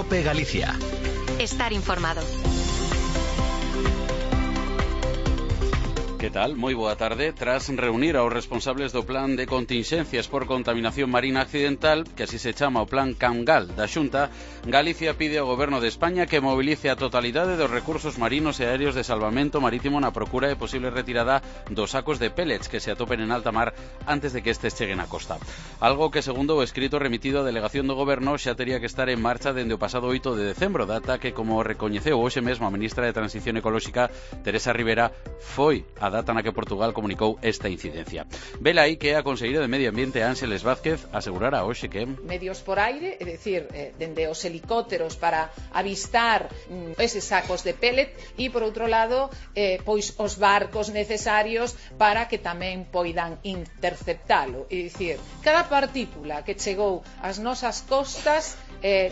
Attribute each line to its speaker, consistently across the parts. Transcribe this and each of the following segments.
Speaker 1: COPE Galicia.
Speaker 2: Estar informado.
Speaker 3: Que tal? Moi boa tarde. Tras reunir aos responsables do plan de contingencias por contaminación marina accidental, que así se chama o plan Cangal da Xunta, Galicia pide ao Goberno de España que movilice a totalidade dos recursos marinos e aéreos de salvamento marítimo na procura de posible retirada dos sacos de pellets que se atopen en alta mar antes de que estes cheguen á costa. Algo que, segundo o escrito remitido á delegación do Goberno, xa tería que estar en marcha dende o pasado 8 de decembro, data que, como recoñeceu hoxe mesmo a ministra de Transición Ecolóxica, Teresa Rivera, foi a data na que Portugal comunicou esta incidencia. Vela aí que a conselleira de Medio Ambiente, Ángeles Vázquez, asegurara hoxe que
Speaker 4: medios por aire, é dicir, dende os helicópteros para avistar eses sacos de pellet e, por outro lado, pois os barcos necesarios para que tamén poidan interceptalo. É dicir, cada partícula que chegou ás nosas costas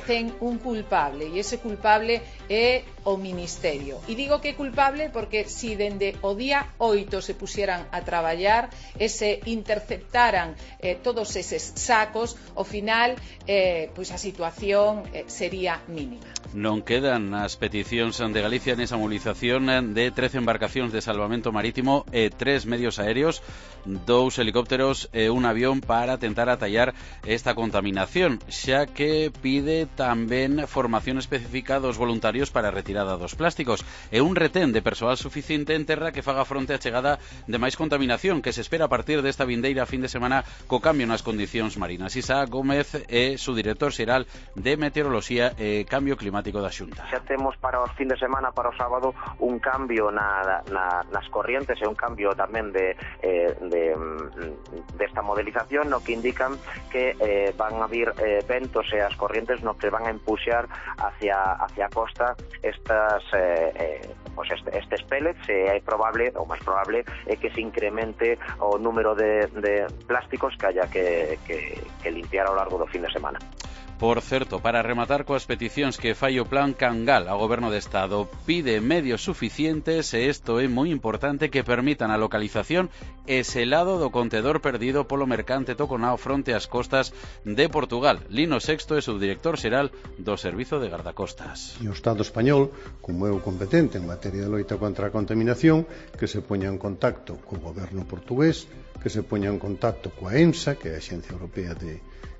Speaker 4: ten un culpable, e ese culpable é o Ministerio. E digo que é culpable porque si dende o día 8 se pusieran a traballar e se interceptaran todos eses sacos, ao final pois a situación sería mínima.
Speaker 3: Non quedan as peticións de Galicia nesa movilización de 13 embarcacións de salvamento marítimo e 3 medios aéreos, 2 helicópteros e un avión para tentar atallar esta contaminación, xa que pide tamén formación específica dos voluntarios para a retirada dos plásticos e un retén de persoal suficiente en terra que faga fronte á chegada de máis contaminación que se espera a partir desta vindeira fin de semana co cambio nas condicións marinas. Isaac Gómez é su director xeral de Meteoroloxía e Cambio Climático da Xunta.
Speaker 5: Xa temos para o fin de semana, para o sábado, un cambio nas corrientes e un cambio tamén desta modelización, no que indican que van a vir ventos e as corrientes no que van a empuxar hacia a costa estes pellets, e é probable, ou máis probable, é que se incremente o número de plásticos que haya que limpiar ao largo do fin de semana.
Speaker 3: Por certo, para rematar coas peticións que fai o plan Cangal ao Goberno de Estado, pide medios suficientes, e isto é moi importante, que permitan a localización e selado do contedor perdido polo mercante Toconao fronte ás costas de Portugal. Lino Sexto é subdirector xeral do Servizo de Gardacostas.
Speaker 6: E o Estado español, como é o competente en materia de loita contra a contaminación, que se poña en contacto co Goberno portugués, que se poña en contacto coa EMSA, que é a Axencia Europea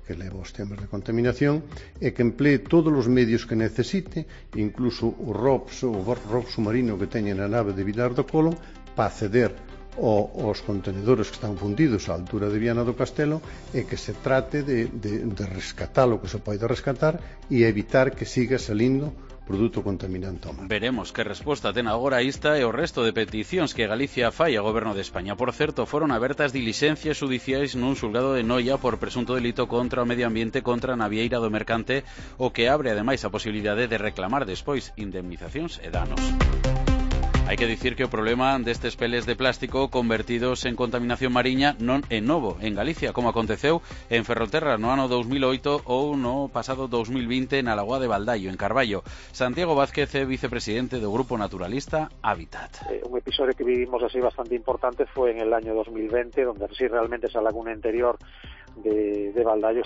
Speaker 6: que leva os temas de contaminación, e que emplee todos os medios que necesite, incluso o ROP submarino que teña na nave de Vilar do Colo, para acceder aos contenedores que están fundidos á altura de Viana do Castelo, e que se trate de rescatar o que se pode rescatar e evitar que siga salindo produto contaminante ao mar.
Speaker 3: Veremos que resposta ten agora esta e o resto de peticións que Galicia fai ao Goberno de España. Por certo, foron abertas dilixencias xudiciais nun xulgado de Noia por presunto delito contra o medio ambiente contra a navieira do mercante, o que abre ademais a posibilidade de reclamar despois indemnizacións e danos. Hai que dicir que o problema destes peles de plástico convertidos en contaminación mariña non é novo en Galicia, como aconteceu en Ferrolterra no ano 2008 ou no pasado 2020 na Lagoa de Baldaio, en Carballo. Santiago Vázquez é vicepresidente do Grupo Naturalista Hábitat.
Speaker 7: Un episodio que vivimos así bastante importante fue en el año 2020, donde así realmente esa laguna interior de Baldaio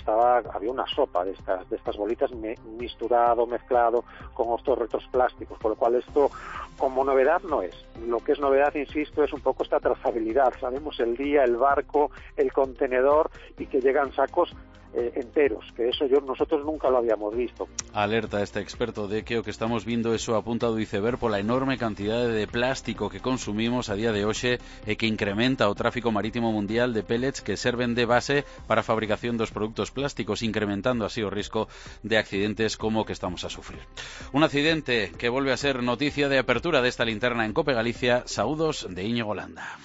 Speaker 7: había una sopa de estas bolitas mezclado con estos restos plásticos, por lo cual esto como novedad no es. Lo que es novedad, insisto, es un poco esta trazabilidad. Sabemos el día, el barco, el contenedor, y que llegan sacos enteros, que eso nosotros nunca lo habíamos visto.
Speaker 3: Alerta este experto de que o que estamos vindo é só a punta do iceberg pola enorme cantidade de plástico que consumimos a día de hoxe e que incrementa o tráfico marítimo mundial de pellets que serven de base para a fabricación dos produtos plásticos, incrementando así o risco de accidentes como o que estamos a sufrir. Un accidente que volve a ser noticia de apertura desta linterna en Cope Galicia. Saúdos de Íñigo Landa.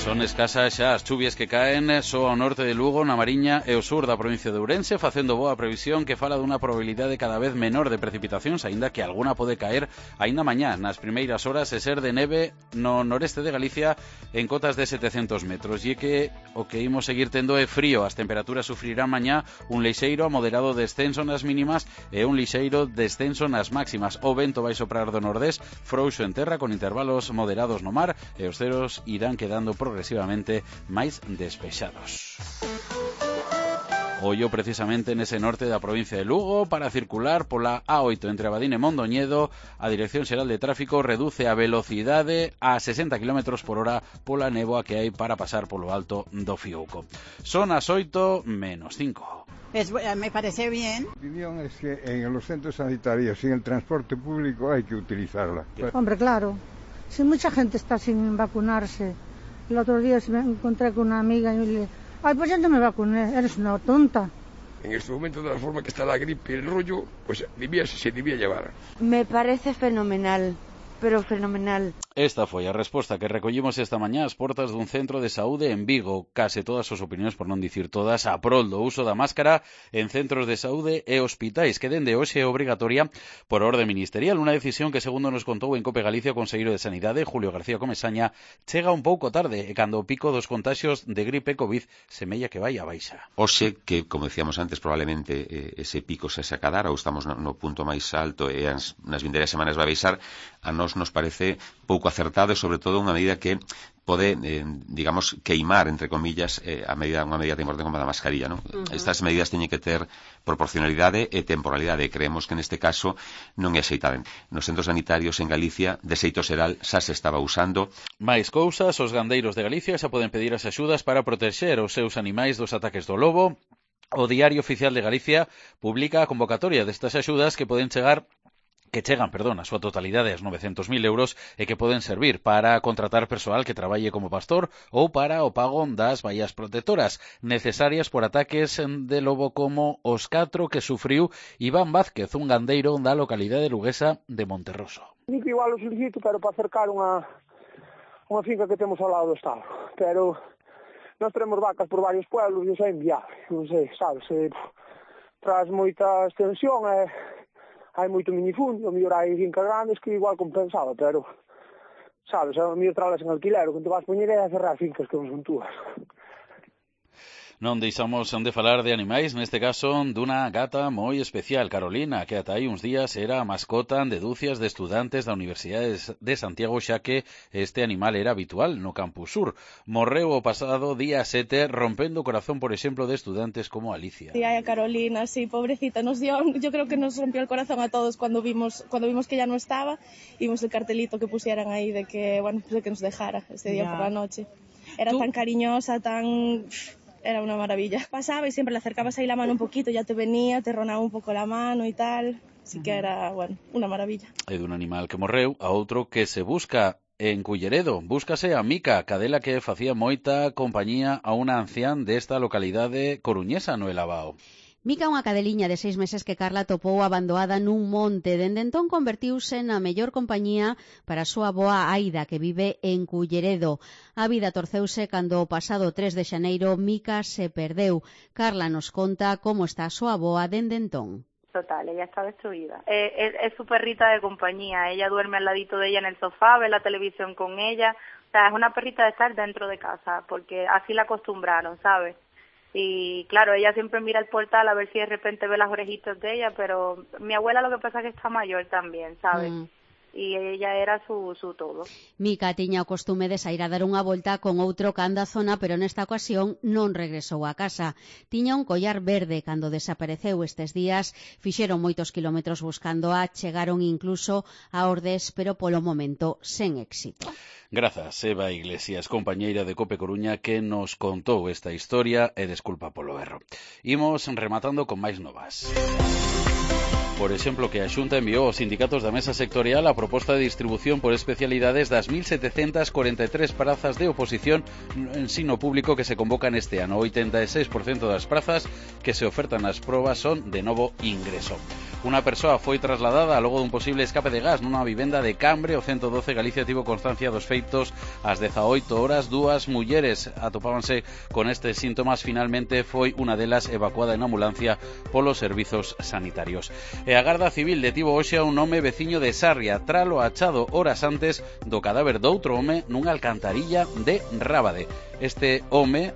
Speaker 3: Son escasas xa as chuvias que caen só ao norte de Lugo, na Mariña e o sur da provincia de Ourense, facendo boa previsión que fala dunha probabilidade cada vez menor de precipitacións, aínda que alguna pode caer aínda mañá nas primeiras horas e ser de neve no noreste de Galicia en cotas de 700 metros. E que o que imos seguir tendo é frío. As temperaturas sufrirán mañá un lixeiro a moderado descenso nas mínimas e un lixeiro descenso nas máximas. O vento vai soprar do nordés, frouxo en terra con intervalos moderados no mar, e os ceros irán quedando progresivamente máis despexados. ollo precisamente nese norte da provincia de Lugo para circular pola A8 entre Abadín e Mondoñedo. A Dirección Xeral de Tráfico reduce a velocidade a 60 km por hora pola néboa que hai para pasar polo alto do Fiouco. Son as 8:05.
Speaker 1: Me parece bien.
Speaker 2: Mi opinión es que en los centros sanitarios y en el transporte público hay que utilizarla.
Speaker 8: Hombre, claro. Si mucha gente está sin vacunarse. El otro día me encontré con una amiga y me dije, ay, pues ya no me vacuné, eres una tonta.
Speaker 9: En este momento, de la forma que está la gripe y el rollo, pues se debía llevar.
Speaker 10: Me parece fenomenal, pero fenomenal.
Speaker 3: Esta foi a resposta que recollimos esta mañá ás portas dun centro de saúde en Vigo. Case todas as opinións, por non dicir todas, a prol do uso da máscara en centros de saúde e hospitais, que dende hoxe é obrigatoria por orde ministerial. Unha decisión que, segundo nos contou en Cope Galicia o conselleiro de Sanidade, Julio García Comesaña, chega un pouco tarde e cando o pico dos contaxios de gripe COVID semella que vai a baixa.
Speaker 11: Hoxe, que, como decíamos antes, probablemente ese pico se sacará, ou estamos no punto máis alto e nas vindeiras semanas vai baixar, a nos parece pouco acertado e, sobre todo, unha medida que pode, digamos, queimar, entre comillas, unha medida tan importante como a da mascarilla, non? Estas medidas teñen que ter proporcionalidade e temporalidade, e creemos que neste caso non é axeitada. Nos centros sanitarios en Galicia, de xeito xeral, xa se estaba usando.
Speaker 3: Mais cousas, os gandeiros de Galicia xa poden pedir as axudas para protexer os seus animais dos ataques do lobo. O Diario Oficial de Galicia publica a convocatoria destas axudas que chegan a súa totalidade aos 900.000 euros e que poden servir para contratar persoal que traballe como pastor ou para o pago das vallas protectoras necesarias por ataques de lobo como os 4 que sufriu Iván Vázquez, un gandeiro da localidade luguesa de Monterroso.
Speaker 12: Igual o solicito, pero para acercar unha finca que temos ao lado do estado, pero nós tenemos vacas por varios pueblos e iso é inviable, non sei, sabes, tras moita extensión hai moito minifundio, a mellor hai fincas grandes que igual compensaba, pero, sabes, a mellor tralas en alquilero, que te vas poñer é a cerrar fincas que non son túas.
Speaker 3: Non deixamos de falar de animais, neste caso dunha gata moi especial, Carolina, que ata hai uns días era a mascota de dúcias de estudantes da Universidade de Santiago, xa que este animal era habitual no Campus Sur. Morreu o pasado día 7, rompendo o corazón, por exemplo, de estudantes como Alicia.
Speaker 13: Sí, a Carolina, sí, pobrecita, yo creo que nos rompió el corazón a todos cuando vimos que ya no estaba, vimos el cartelito que pusieran ahí de que, bueno, pues de que nos dejara ese día por la noche. Era tan cariñosa, Era una maravilla. Pasaba y siempre le acercabas ahí la mano un poquito, ya te venía, te ronaba un poco la mano y tal. Así que era, bueno, una maravilla. É
Speaker 3: dun animal que morreu a outro que se busca en Culleredo. Búscase a Mica, cadela que facía moita compañía a unha ancián desta localidade coruñesa no Elabao.
Speaker 14: Mica, unha cadeliña de 6 meses que Carla topou abandoada nun monte. Dende entón convertiuse na mellor compañía para a súa avoa Aida, que vive en Culleredo. A vida torceuse cando o pasado 3 de xaneiro Mica se perdeu. Carla nos conta como está a súa avoa dende entón.
Speaker 10: Total, ella está destruida. Es su perrita de compañía. Ella duerme al ladito de ella en el sofá, ve la televisión con ella. O sea, es una perrita de estar dentro de casa, porque así la acostumbraron, ¿sabes? Y claro, ella siempre mira el portal a ver si de repente ve las orejitas de ella, pero mi abuela lo que pasa es que está mayor también, ¿sabes? E ella era su todo.
Speaker 14: Mica tiña o costume de sair a dar unha volta con outro canda a zona, pero nesta ocasión non regresou a casa. Tiña un collar verde cando desapareceu estes días, fixeron moitos kilómetros buscándoa, chegaron incluso a Ordes, pero polo momento sen éxito.
Speaker 3: Grazas, Eva Iglesias, compañeira de Cope Coruña, que nos contou esta historia e desculpa polo erro. Imos rematando con máis novas. Por exemplo, que a Xunta enviou aos sindicatos da mesa sectorial a proposta de distribución por especialidades das 1.743 prazas de oposición no ensino público que se convocan este ano. 86% das prazas que se ofertan nas probas son de novo ingreso. Unha persoa foi trasladada logo dun posible escape de gas nunha vivenda de Cambre. O 112 Galicia tivo constancia dos feitos ás 18 horas. Dúas mulleres atopábanse con estes síntomas. Finalmente foi unha delas evacuada en ambulancia polos servizos sanitarios. E a Garda Civil detivo hoxe a un home veciño de Sarria tralo achado horas antes do cadáver doutro home nunha alcantarilla de Rábade. Este home,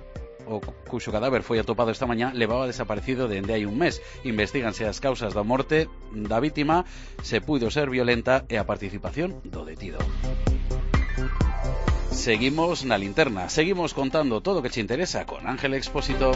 Speaker 3: o cuxo cadáver foi atopado esta mañá, levaba desaparecido dende hai un mes. Investíganse as causas da morte da vítima, se puido ser violenta e a participación do detido. Seguimos na linterna, seguimos contando todo o que che interesa con Ángel Expósito.